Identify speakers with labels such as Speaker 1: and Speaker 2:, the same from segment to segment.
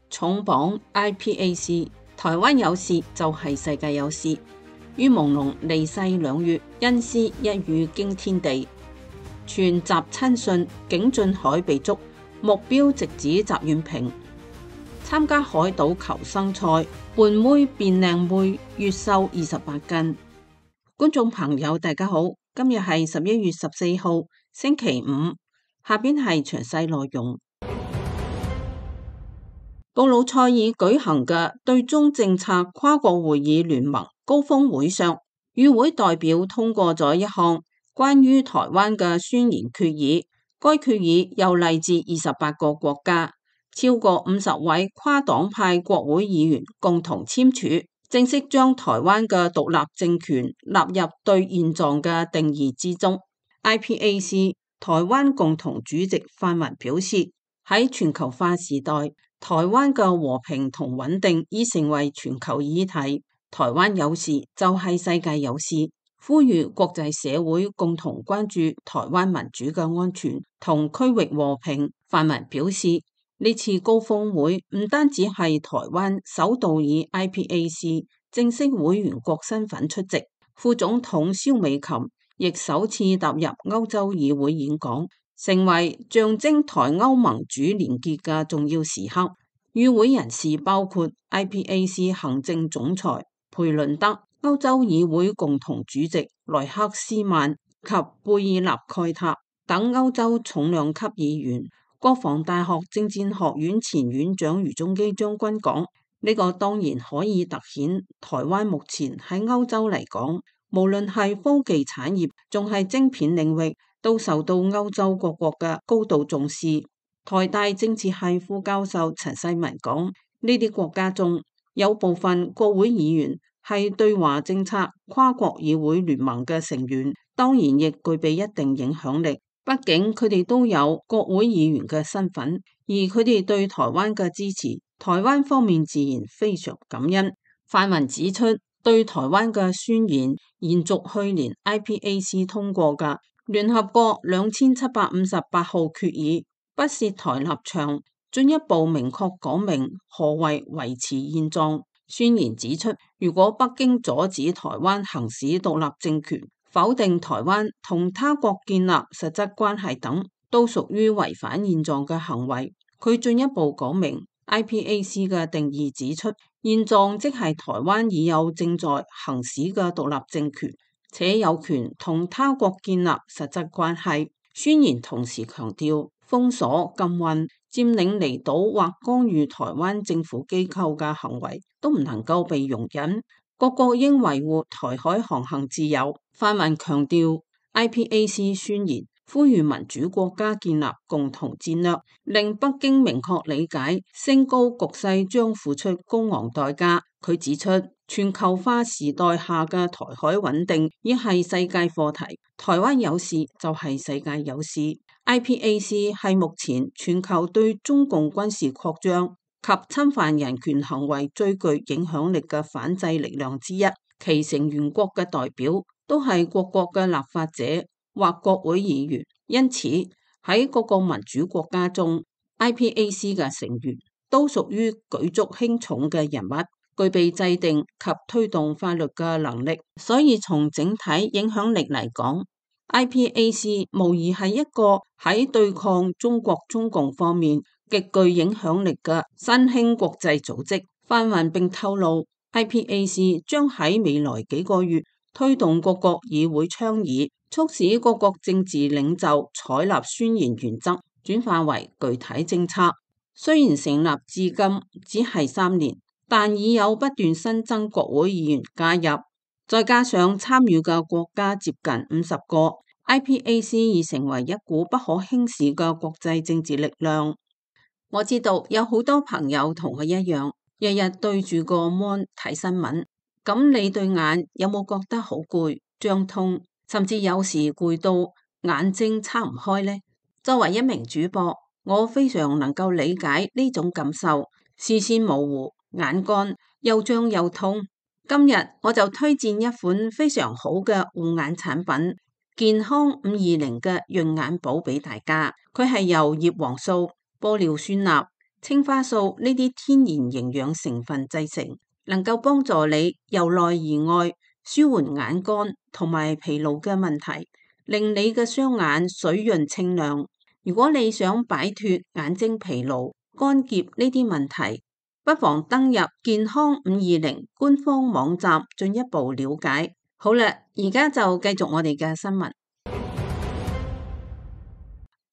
Speaker 1: 重磅 IPAC， 台灣有事就係世界有事。於朦朧離世2月，因私一語驚天地。傳習親信竟進海被捉，目標直指習遠平。參加海島求生賽，胖妹變靚妹，月瘦28斤。觀眾朋友大家好，今日係11月14號星期五，下邊係詳細內容。布魯塞爾舉行嘅對中政策跨國會議聯盟高峰會上，與會代表通過咗一項關於台灣嘅宣言決議。該決議又嚟自28個國家，超過50位跨黨派國會議員共同簽署，正式將台灣嘅獨立政權納入對現狀嘅定義之中。IPAC 台灣共同主席范雲表示，喺全球化時代，台灣嘅和平同穩定已成為全球議題。台灣有事就係世界有事，呼籲國際社會共同關注台灣民主嘅安全同區域和平。范雲表示，呢次高峰會唔單止係台灣首度以 IPAC 正式會員國身份出席，副總統蕭美琴亦首次踏入歐洲議會演講，成為象徵台歐盟主連結嘅重要時刻。與會人士包括 IPAC 行政總裁培倫德、歐洲議會共同主席萊克斯曼及貝爾納蓋塔等歐洲重量級議員。國防大學政戰學院前院長余中基將軍講：呢個當然可以凸顯台灣目前喺歐洲嚟講，無論係科技產業，仲係晶片領域，都受到歐洲各國嘅高度重視。台大政治系副教授陳世文講：呢啲國家中有部分國會議員係對華政策跨國議會聯盟嘅成員，當然亦具備一定影響力。畢竟佢哋都有國會議員嘅身份，而佢哋對台灣嘅支持，台灣方面自然非常感恩。范雲指出，對台灣嘅宣言延續去年 IPAC 通過嘅聯合國2758號決議，不涉台立場，進一步明確講明何謂維持現狀。宣言指出，如果北京阻止台灣行使獨立政權，否定台灣同他國建立實質關係等，都屬於違反現狀嘅行為。佢進一步講明 IPAC 嘅定義指出，現狀即係台灣已有正在行使嘅獨立政權，且有權同他國建立實質關係。宣言同時強調，封鎖、禁運、佔領離島或干預台灣政府機構嘅行為都唔能夠被容忍，各國應維護台海航行自由。范雲強調 IPAC 宣言呼籲民主國家建立共同戰略，令北京明確理解升高局勢將付出高昂代價。佢指出，全球化時代下嘅台海穩定已係世界課題，台灣有事就係世界有事。IPAC 係目前全球對中共軍事擴張及侵犯人權行為最具影響力嘅反制力量之一，其成員國嘅代表都係各國嘅立法者或國會議員，因此喺各個民主國家中 ，IPAC 嘅成員都屬於舉足輕重嘅人物，具備制定及推動法律嘅能力。所以從整體影響力嚟講，IPAC 無疑係一個喺對抗中國中共方面極具影響力嘅新興國際組織。范雲並透露，IPAC 將喺未來幾個月推動各國議會倡議，促使各國政治領袖採納宣言原則，轉化為具體政策。雖然成立至今只係3年，但已有不斷新增國會議員加入，再加上參與嘅國家接近50個， IPAC 已成為一股不可輕視嘅國際政治力量。我知道有好多朋友同佢一樣，日日對住個 mon 睇新聞，咁你對眼有冇覺得好攰、脹痛，甚至有時攰到眼睛撐唔開呢？作為一名主播，我非常能夠理解呢種感受，視線模糊、眼乾又脹又痛。今日我就推薦一款非常好嘅護眼產品，健康520嘅潤眼寶俾大家。佢係由葉黃素、玻尿酸鈉、青花素呢啲天然營養成分製成，能夠幫助你由內而外舒緩眼乾同埋疲勞嘅問題，令你嘅雙眼水潤清亮。如果你想擺脫眼睛疲勞、乾澀呢啲問題，不妨登入健康520官方網站進一步了解。好啦，而家就繼續我哋嘅新聞。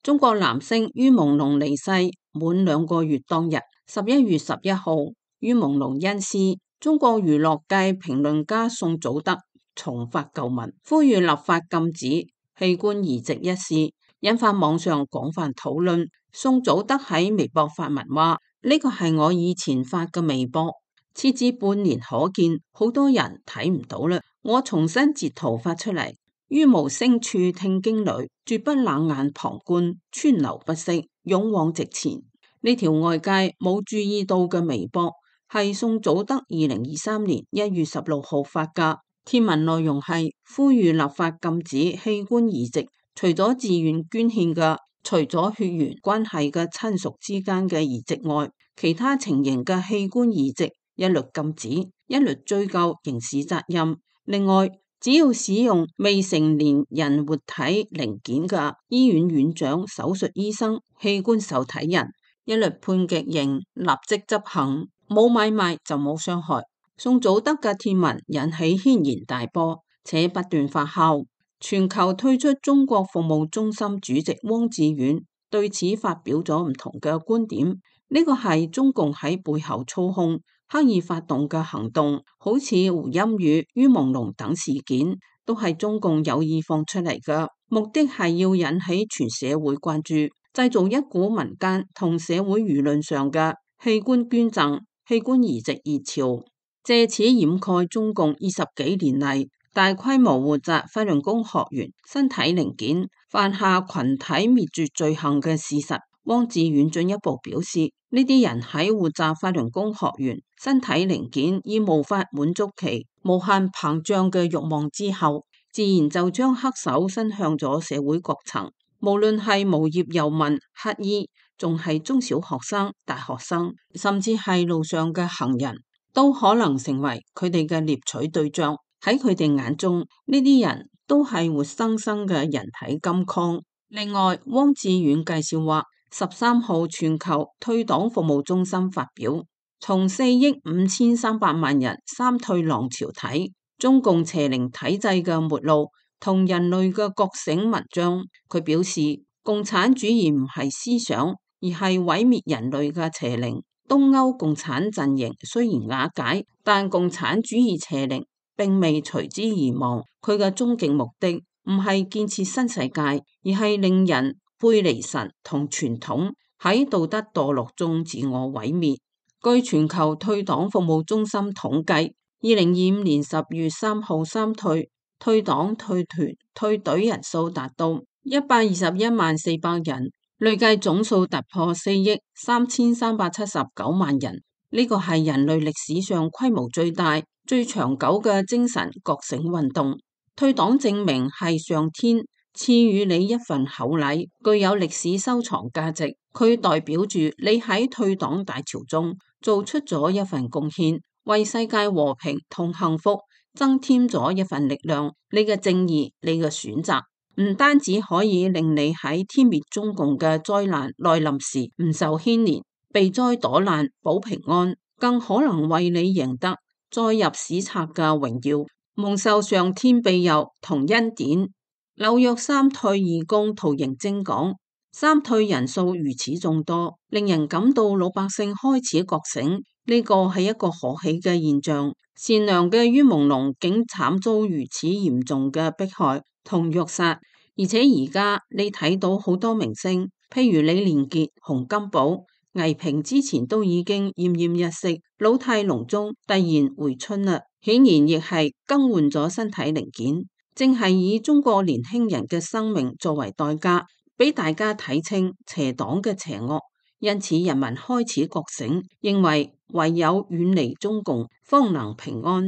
Speaker 1: 中國男星于朦朧離世滿2個月當日，11月11號，于朦朧因私，中國娛樂界評論家宋祖德重發舊聞，呼籲立法禁止器官移植一事，引發網上廣泛討論。宋祖德喺微博發文話：呢個係我以前發嘅微博，設置半年可見，好多人睇唔到啦，我重新截圖發出嚟。於無聲處聽驚雷，絕不冷眼旁觀，川流不息，勇往直前。呢條外界冇注意到嘅微博，係宋祖德2023年1月16號發嘅。貼文內容係呼籲立法禁止器官移植，除咗自願捐獻嘅，除咗血緣關係嘅親屬之間嘅移植外，其他情形嘅器官移植一律禁止，一律追究刑事責任。另外，只要使用未成年人活體零件嘅醫院院長、手術醫生、器官受體人，一律判極刑，立即執行，冇買賣就冇傷害。宋祖德嘅貼文引起軒然大波，且不斷發酵。全球退出中國服務中心主席汪志遠對此發表咗唔同嘅觀點。呢個係中共喺背後操控、刻意發動嘅行動，好似胡鑫宇、于朦朧等事件，都係中共有意放出嚟嘅，目的係要引起全社會關注，製造一股民間同社會輿論上嘅器官捐贈、器官移植熱潮，借此掩蓋中共20幾年嚟大規模活摘法輪功學員身體零件，犯下群體滅絕罪行嘅事實。汪志遠進一步表示，呢啲人喺活摘法輪功學員身體零件已無法滿足其無限膨脹嘅慾望之後，自然就將黑手伸向咗社會各層，無論係無業遊民、乞衣，仲係中小學生、大學生，甚至係路上嘅行人，都可能成為佢哋嘅獵取對象。喺佢哋眼中，呢啲人都係活生生嘅人體金礦。另外，汪志遠介紹話，13號全球退黨服務中心發表從4億5300萬人三退浪潮睇中共邪靈體制嘅末路同人類嘅覺醒文章。佢表示，共產主義唔係思想，而係毀滅人類嘅邪靈。東歐共產陣營雖然瓦解，但共產主義邪靈並未隨之而亡。佢嘅終極目的唔係建設新世界，而係令人背離神同傳統，喺道德墮落中自我毀滅。據全球退黨服務中心統計，2025年10月3號三退黨、退團、退隊人數達到121.400人，累計總數突破4億3379萬人。呢個係人類歷史上規模最大、最長久嘅精神覺醒運動。退黨證明係上天賜予你一份厚禮，具有歷史收藏價值。佢代表住你喺退黨大潮中做出咗一份貢獻，為世界和平同幸福增添咗一份力量。你嘅正義，你嘅選擇，唔單止可以令你喺天滅中共嘅災難來臨時唔受牽連，避災躲難保平安，更可能為你贏得載入史冊嘅榮耀，蒙受上天庇佑同恩典。紐約三退義工圖形徵講，三退人數如此眾多，令人感到老百姓開始覺醒，呢個係一個可喜嘅現象。善良嘅于朦朧竟慘遭如此嚴重嘅迫害同虐殺，而且而家你睇到好多明星，譬如李連杰、洪金寶、倪萍之前都已經奄奄一息，老態龍鍾突然回春啦，顯然亦係更換咗身體零件，正係以中國年輕人嘅生命作為代價，俾大家睇清邪黨嘅邪惡。因此人民開始覺醒，認為唯有遠離中共方能平安。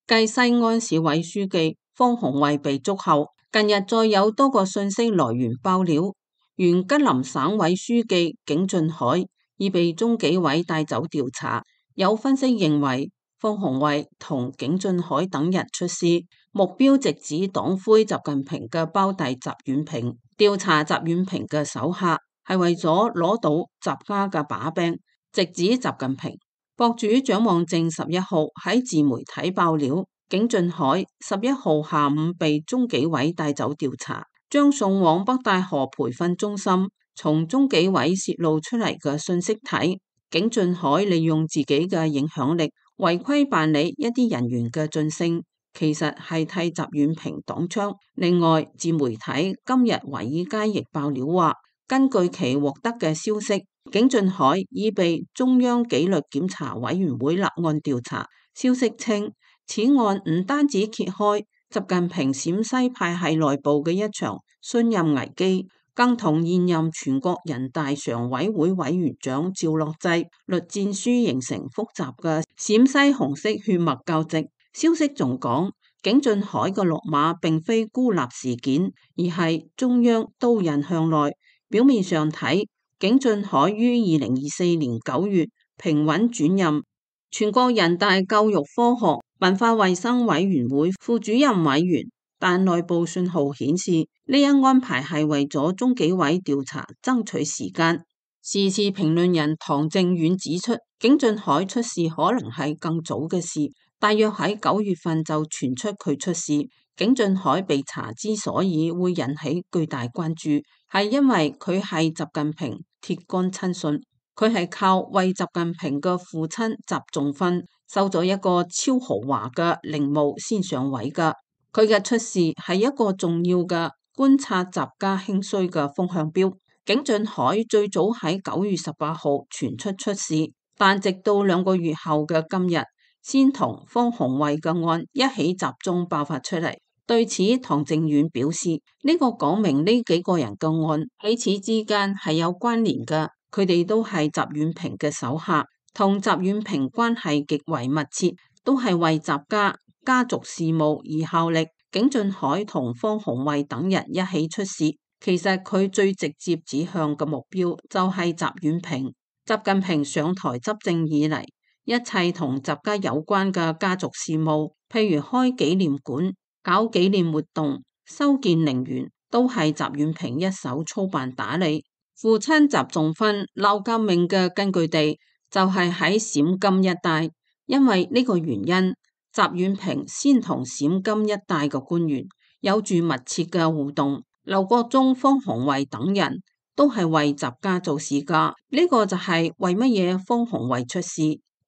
Speaker 1: 繼西安市委書記方鴻慧被捉後，近日再有多個信息來源爆料，原吉林省委書記景俊愷已被中紀委帶走調查。有分析認為，方鴻慧同景俊愷等人出事，目標直指黨魁習近平嘅胞弟習遠平。調查習遠平嘅手下係為咗攞到習家嘅把柄，直指習近平。博主蔣望正11號喺自媒體爆料，景俊愷11號下午被中紀委帶走調查，將送往北戴河培訓中心。從中紀委泄露出嚟嘅信息睇，景俊愷利用自己嘅影響力，違規辦理一啲人員嘅晉升，其實係替習遠平擋槍。另外，自媒體今日華爾街亦爆料話，根據其獲得嘅消息，景俊愷已被中央紀律檢查委員會立案調查。消息稱，此案唔單止揭開習近平陝西派系內部嘅一場信任危機，更同現任全國人大常委會委員長趙樂際栗戰書形成複雜嘅陝西紅色血脈交織。消息仲講，景俊愷嘅落馬並非孤立事件，而係中央刀刃向內。表面上睇，景俊愷於2024年9月平穩轉任全國人大教育科學文化衛生委員會副主任委員，但內部信號顯示，呢一安排係為咗中紀委調查爭取時間。時事評論人唐正遠指出，景俊愷出事可能係更早嘅事，大約喺9月份就傳出佢出事。景俊愷被查之所以會引起巨大關注，係因為佢係習近平鐵桿親信，佢係靠為習近平嘅父親習仲勳收咗一個超豪華嘅陵墓先上位㗎。佢嘅出事係一個重要嘅觀察習家興衰嘅風向標。景俊愷最早喺9月18號傳出事，但直到2個月後嘅今日，先同方鴻慧嘅案一起集中爆發出嚟。對此，唐正遠表示，呢個講明呢幾個人嘅案彼此之間係有關聯嘅，佢哋都係習遠平嘅手下，同習遠平關係極為密切，都係為習家家族事務而效力。景俊愷同方鴻慧等人一起出事，其實佢最直接指向嘅目標就係習遠平。習近平上台執政以嚟，一切同習家有關嘅家族事務，譬如開紀念館、搞紀念活動、修建陵園，都係習遠平一手操辦打理。父親習仲勳鬧革命嘅根據地就係喺陝甘一帶，因為呢個原因，習遠平先同陝甘一帶嘅官員有住密切嘅互動。劉國中、方鴻慧等人都係為習家做事㗎，呢個就係為乜嘢方鴻慧出事，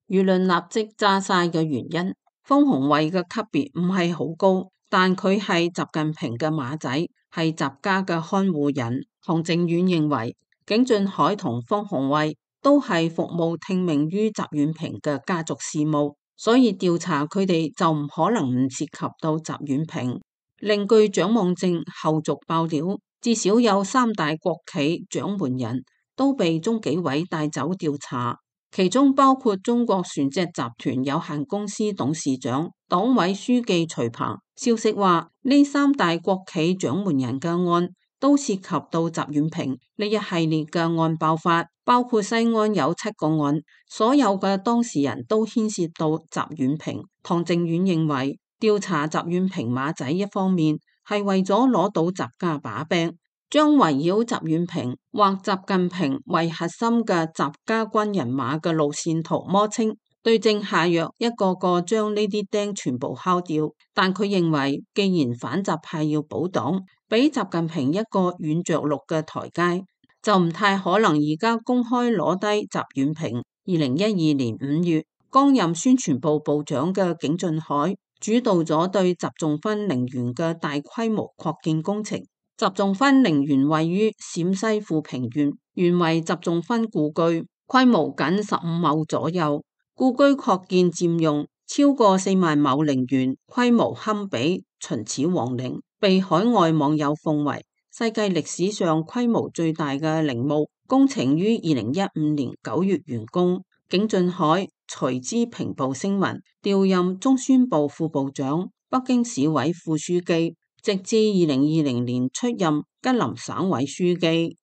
Speaker 1: 輿論立即炸晒嘅原因。方鴻慧嘅級別唔係好高，但佢係習近平嘅馬仔，係習家嘅看護人。唐正遠認為，景俊愷同方鴻慧都係服務聽命於習遠平嘅家族事務，所以調查佢哋就唔可能唔涉及到習遠平。另據蔣望正後續爆料，至少有3大國企掌門人都被中紀委帶走調查，其中包括中國船隻集團有限公司董事長、黨委書記徐鵬。消息話，呢3大國企掌門人嘅案都涉及到習遠平。呢一系列嘅案爆發，包括西安有7個案，所有嘅當事人都牽涉到習遠平。唐正遠認為，調查習遠平馬仔一方面係為咗攞到習家把柄，將圍繞習遠平或習近平為核心嘅習家軍人馬嘅路線圖摸清，對症下藥，一個個將呢啲釘全部敲掉。但佢認為，既然反習派要保黨，俾習近平一個軟着陸嘅台階，就唔太可能而家公開攞低習遠平。2012年5月，剛任宣傳部部長嘅景俊愷主導咗對習仲勳陵園嘅大規模擴建工程。習仲勳陵園位於陝西富平縣，原為習仲勳故居，規模僅15畝左右。故居擴建佔用超過4萬畝陵園，規模堪比秦始皇陵，被海外網友奉為世界歷史上規模最大嘅陵墓。工程於2015年9月完工。景俊愷隨之平步聲雲，調任中宣部副部長、北京市委副書記，直至2020年出任吉林省委書記。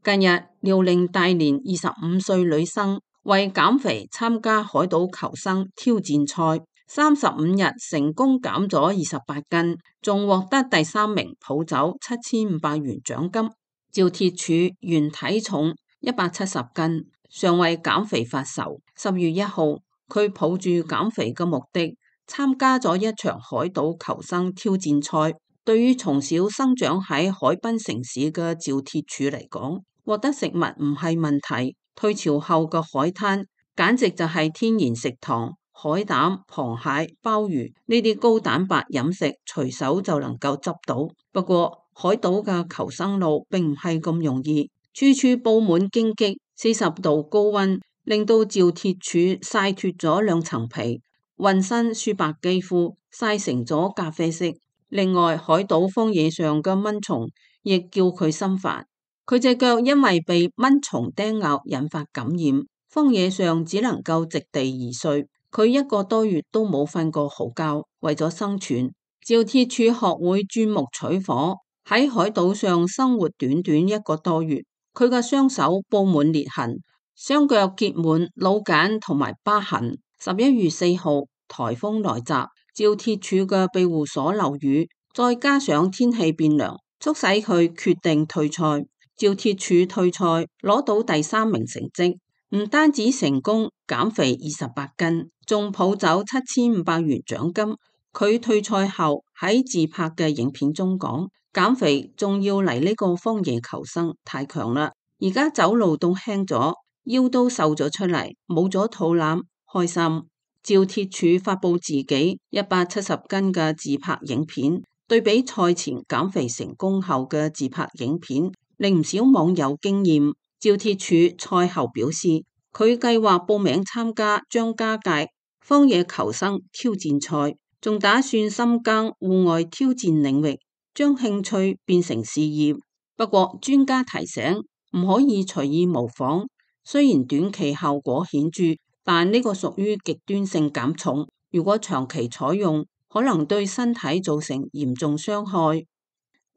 Speaker 1: 近日，遼寧大連25歲女生為減肥參加海島求生挑戰賽，35日成功減咗28斤，仲獲得第3名，抱走7500元獎金。趙鐵柱原體重170斤，尚為減肥發愁。10月1號，佢抱住減肥嘅目的參加咗一場海島求生挑戰賽。對於從小生長喺海濱城市嘅趙鐵柱嚟講，獲得食物唔係問題。退潮後嘅海灘簡直就係天然食堂，海膽、螃蟹、鮑魚呢啲高蛋白飲食隨手就能夠執到。不過海島嘅求生路並唔係咁容易，處處佈滿荊棘，40度高溫令到趙鐵柱曬脫咗2層皮，渾身雪白肌膚曬成咗咖啡色。另外，海島荒野上嘅蚊蟲亦叫佢心煩。佢隻腳因為被蚊蟲叮咬引發感染，荒野上只能夠席地而睡。佢1個多月都冇瞓過好覺。為咗生存，趙鐵柱學會鑽木取火，喺海島上生活短短1個多月，佢嘅雙手布滿裂痕，雙腳結滿老繭同埋疤痕。11月4號，颱風來襲，趙鐵柱嘅庇護所漏雨，再加上天氣變涼，促使佢決定退賽。趙鐵柱退賽攞到第3名成績，唔單止成功減肥28斤，仲抱走7500元獎金。佢退賽後喺自拍嘅影片中講：減肥仲要嚟呢個荒野求生，太強啦！而家走路都輕咗，腰都瘦咗出嚟，冇咗肚腩，開心。趙鐵柱發佈自己170斤嘅自拍影片，對比賽前減肥成功後嘅自拍影片，令唔少網友驚艷。趙鐵柱賽後表示，佢計劃報名參加張家界荒野求生挑戰賽，仲打算深耕戶外挑戰領域，將興趣變成事業。不過專家提醒，唔可以隨意模仿，雖然短期效果顯著，但呢個屬於極端性減重，如果長期採用，可能對身體造成嚴重傷害。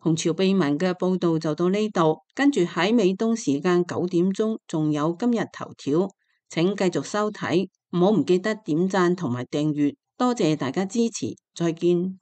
Speaker 1: 紅潮秘聞嘅報道就到呢度，跟住喺美東時間9點鐘仲有今日頭條，請繼續收睇，唔好唔記得點讚同埋訂閱，多謝大家支持，再見。